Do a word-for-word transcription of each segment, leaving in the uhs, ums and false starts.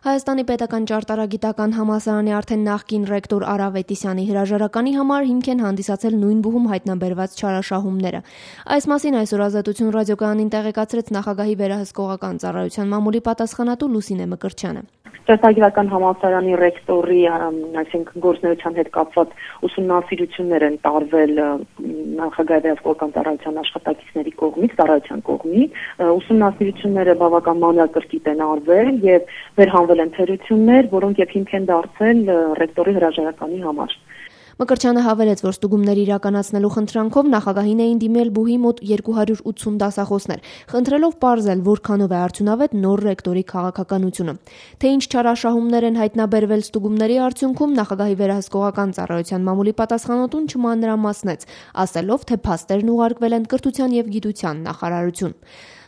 Հայաստանի պետական ճարտարագիտական համալսարանի արդեն նախկին ռեկտոր Արա Ավետիսյանի հրաժարականի համար հիմք են հանդիսացել նույն բուհում հայտնաբերված չարաշահումները։ Այս մասին այսօր Ազատություն ռադիոկայանին տեղեկացրեց Նախագահի վերահսկողական ծառայության մամուլի պատասխանատու Լուսինե Մկրտչյանը։ Ճարտարագիտական համալսարանի ռեկտորի, այսինքն գործնեության հետ կապված ուսումնասիրություններ են տարվել Նախագահի վերահսկողական ծառայության աշխատակիցների կողմից, ծառայության կողմից։ Ուսումնասիրությունները բավական մանրակրկիտ են արվել եւ վերհանվել են թերություններ, որոնք եւ հիմք են դարձել ռեկտորի հրաժարականի համար։ Մկրտչյանը հավելեց, որ ստուգումներ իրականացնելու խնդրանքով նախագահին էին դիմել բուհի մոտ երկու հարյուր ութսուն դասախոսներ, խնդրելով պարզել, որքանով է արդյունավետ նոր ռեկտորի քաղաքականությունը։ Թե ինչ չարաշահումներ են հայտնաբերվել ստուգումների արդյունքում, Նախագահի վերահսկողական ծառայության մամուլի պատասխանատուն չմանրամասնեց, ասելով, թե փաստերն ուղարկվել են Կրթության եւ Գիտության նախարարություն։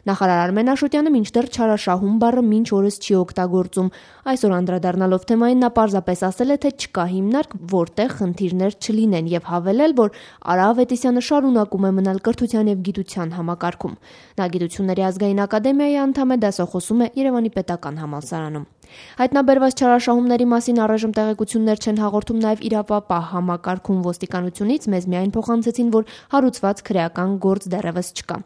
Նախարար Արմեն Աշոտյանը մինչդեռ չարաշահում բառը մինչ օրս չի օգտագործում։ Այսօր անդրադառնալով թեմային նա պարզապես ասել է, թե չկա հիմնարկ, որտեղ խնդիրներ չլինեն եւ հավելել, որ Արա Ավետիսյանը շարունակում է մնալ Կրթության եւ Գիտության համակարգում։ Նա Գիտությունների ազգային ակադեմիայի անդամ է, դասախոսում է Երևանի պետական համալսարանում։ Հայտնաբերված չարաշահումների մասին առայժմ տեղեկություններ չեն հաղորդում նաև իրավապահ համակարգում ոստիկանությունից, մեզ միայն փոխանցեցին, որ հարուցված քրեական գործ դեռևս չկա։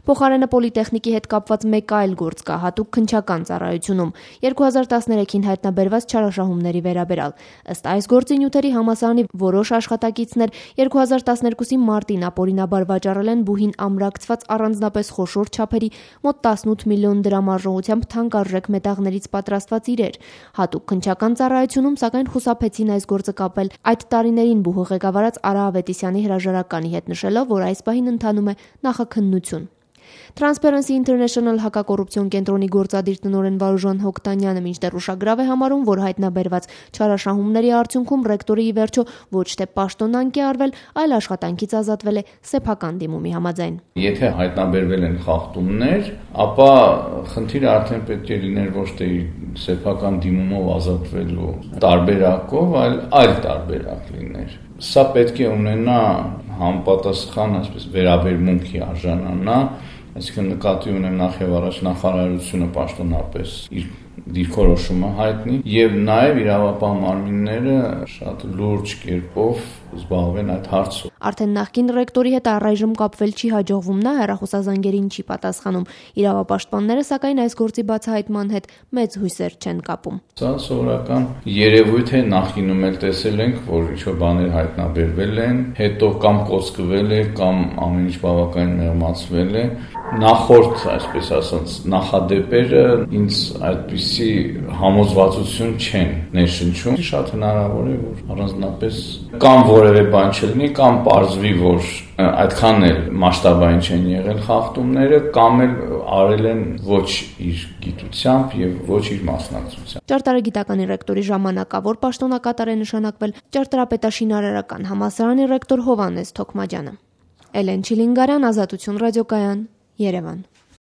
Փոխարենը Պոլիտեխնիկի հետ կապված մեկ այլ գործ կա հատուկ քննչական ծառայությունում երկու հազար տասներեքին հայտնաբերված չարաշահումների վերաբերյալ։ Ըստ այս գործի նյութերի համալսարանի որոշ աշխատակիցներ երկու հազար տասներկուսի մարտին ապօրինաբար վաճառել են բուհին ամրակցված առանձնապես խոշոր չափերի մոտ տասնութ միլիոն դրամ արժողությամբ թանկարժեք մետաղներից պատրաստված իրեր։ Հատուկ քննչական ծառայությունում սակայն խուսափեցին այս գործը կապել այդ տարիներին բուհը ղեկավարած Արա Ավետիսյանի հրաժարականի հետ, նշելով, որ այս պահին ընթանում է նախաքննություն։ Transparency International հակակոռուպցիոն կենտրոնի գործադիր տնօրեն Վարուժան Հոկտանյանը մինչդեռ ուշագրավ է համարում, որ հայտնաբերված չարաշահումների արդյունքում ռեկտորը ի վերջո ոչ թե պաշտոնանկ է արվել, այլ աշխատանքից ազատվել է սեփական դիմումի համաձայն։ Եթե հայտնաբերվել են խախտումներ, ապա խնդիրը արդեն պետք է լիներ ոչ թե սեփական դիմումով ազատվելու տարբերակով, այլ այլ տարբերակ լիներ։ Սա պետք է ունենա համապատասխան, այսպես վերաբերմունքի արժանանա, այսինքն նկատի ունեմ նախ եւ առաջ նախարարությունը պաշտոնապես իր դիրքորոշումը հայտնի եւ նաեւ իրավապահ մարմինները շատ լուրջ կերպով զբաղվեն այդ հարցով։ Արդեն նախկին ռեկտորի հետ առայժմ կապվել չի հաջողվում, նա հեռախոսազանգերին չի պատասխանում։ Իրավապաշտպանները սակայն այս գործի բացահայտման հետ մեծ հույսեր չեն կապում։ Սա սովորական երևույթ է, նախինում էլ տեսել ենք, որ ինչ-որ բաներ հայտնաբերվել են, հետո կամ կոծկվել է, կամ ամեն ինչ բավականին մեղմացվել է։ Նախորդ, այսպես ասած, նախադեպերը ինձ այդպիսի համոզվածություն չեն ներշնչում։ Շատ հնարավոր է, որ առանձնապես կամ որևէ բան չլինի, կամ պարզվի, որ այդքան էլ մասշտաբային չեն եղել խախտումները, կամ էլ արել են ոչ իր գիտությամբ եւ ոչ իր մասնակցությամբ։ Ճարտարագիտականի ռեկտորի ժամանակավոր պաշտոնակատար է նշանակվել ճարտարապետաշինարարական համալսարանի ռեկտոր Հովհաննես Թոքմաջյանը։ Էլեն Չիլինգարյան, Ազատություն ռադիոկայան, Երևան։